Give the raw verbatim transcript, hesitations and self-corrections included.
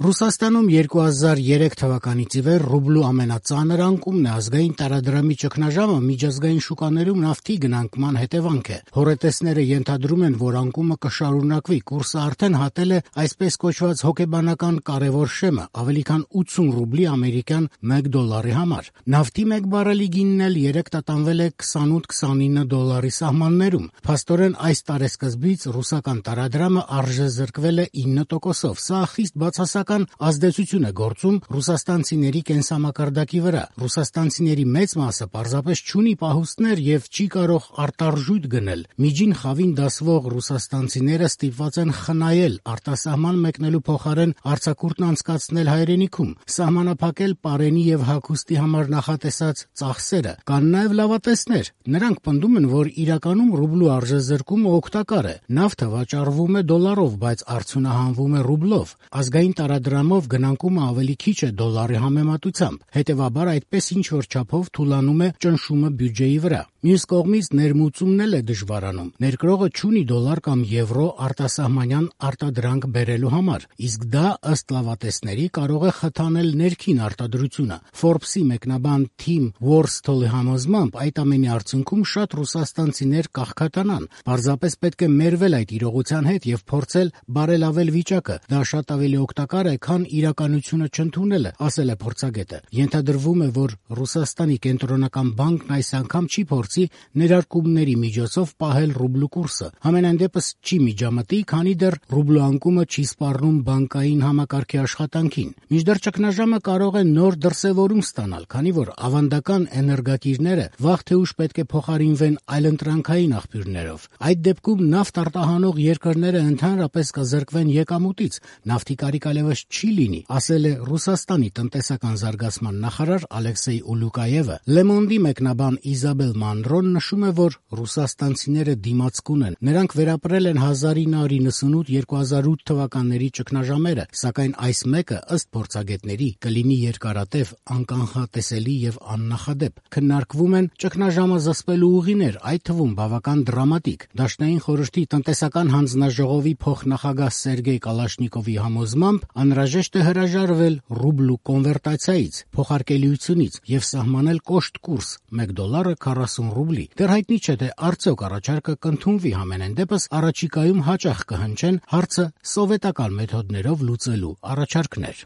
Ռուսաստանում երկու հազար երեք թվականից ի վեր ռուբլու ամենածանր անկումն է, ազգային տարադրամի ճգնաժամը միջազգային շուկաներում նավթի գնանկման հետևանք է։ Հոռետեսները ենթադրում են, որ անկումը կշարունակվի, կուրսը արդեն հատել է այսպես կոչված հոգեբանական կարևոր շեմը՝ ավելի քան ութսուն ռուբլի ամերիկյան մեկ դոլարի համար։ Նավթի մեկ բարելի գինն էլ երեկ տատանվել է քսանութ քսանինը դոլարի սահմաններում։ Փաստորեն այս տարեսկզբից ռուսական տարադրամը արժեզրկվել է ինը տոկոսով։ Սա խիստ բացասական ազդեցություն է գործում ռուսաստանցիների կենսամակարդակի վրա։ Ռուսաստանցիների մեծ մասը պարզապես չունի պահուստներ եւ չի կարող արտարժույթ գնել։ Միջին խավին դասվող ռուսաստանցիները ստիպված են խնայել, արտասահման մեկնելու փոխարեն արձակուրդն անցկացնել հայրենիքում, սահմանափակել պարենի եւ հագուստի համար նախատեսած ծախսերը։ Կան նաեւ լավատեսներ։ Նրանք պնդում են, որ իրականում ռուբլու արժեզրկումը օգտակար է։ Նավթը վաճառվում է դոլարով, բայց արդյունահանվում է ռուբլով։ Ազգային տարադրամով գնանկումը ավելի քիչ է դոլարի համեմատությամբ։ Հետևաբար այդպես ինչ-որ չափով թուլանում է ճնշումը բյուջեի վրա։ Մյուս կողմից ներմուծումն էլ է դժվարանում։ Ներկրողը չունի դոլար կամ եվրո արտասահմանյան արտադրանք բերելու համար, իսկ դա ըստ լավատեսների կարող է խթանել ներքին արտադրությունը։ Forbes-ի մեկնաբան Թիմ Որսթոլի համոզմամբ այդ ամենի արդյունքում շատ ռուսաստանցիներ կաղքատանան։ Պարզապես պետք է մերվել այդ իրողության հետ եւ փորձել բարելավել վիճակը։ Դա շատ ավելի օգտակար է, քան իրականությունը չընդունելը, ասել է փորձագետը։ Ենթադրվում է, որ Ռուսաստանի կենտրոնական բանկն այս անգամ չի փորձի ներարկումների միջոցով պահել ռուբլու կուրսը։ Համենայն դեպս չի միջամտի, քանի դեռ ռուբլու անկումը չի սպառնում բանկային համակարգի աշխատանքին։ Մինչդեռ ճգնաժամը կարող է նոր դրսևորում ստանալ, քանի որ ավանդական էներգակիրները վաղ թե ուշ պետք է փոխարինվեն այլընտրանքային աղբյուրներով։ Այդ դեպքում նավթ արտահանող երկրները ընդհանրապես կզրկվեն եկամուտից։ Նավթի կարիք այլևս չի լինի, ասել է Ռուսաստանի տնտեսական զարգացման նախարար Ալեքսեյ Ուլուկաևը։ Լեմոնդի մեկնաբան Իզաբել Մանրոն նշում է, որ ռուսաստանցիները դիմացկուն են։ Նրանք վերապրել են հազար ինը հարյուր նվաթ - երկու հազար ութ թվականների ճգնաժամերը, սակայն այս մեկը, ըստ փորձագետների, կլինի երկարատև, անկանխատեսելի եւ աննախադեպ։ Քննարկվում են ճգնաժամը զսպելու ուղիներ, այդ թվում բավական դրամատիկ։ Դաշնային խորհրդի տնտեսական հանձնաժողովի փոխնախագահ Սերգեյ Կալաշնիկովի համոզմամբ անհրաժեշտ է հրաժարվել ռուբլու կոնվերտացիայից, փոխարկելիությունից եւ սահմանել կոշտ կուրս՝ մեկ դոլարը քառասուն ռուբլի։ Դեռ հայտնի չէ, թե արդյոք առաջարկը կընդունվի, համենայն դեպս առաջիկայում հաճախ կհնչեն հարցը սովետական մեթոդներով լուծելու առաջարկներ։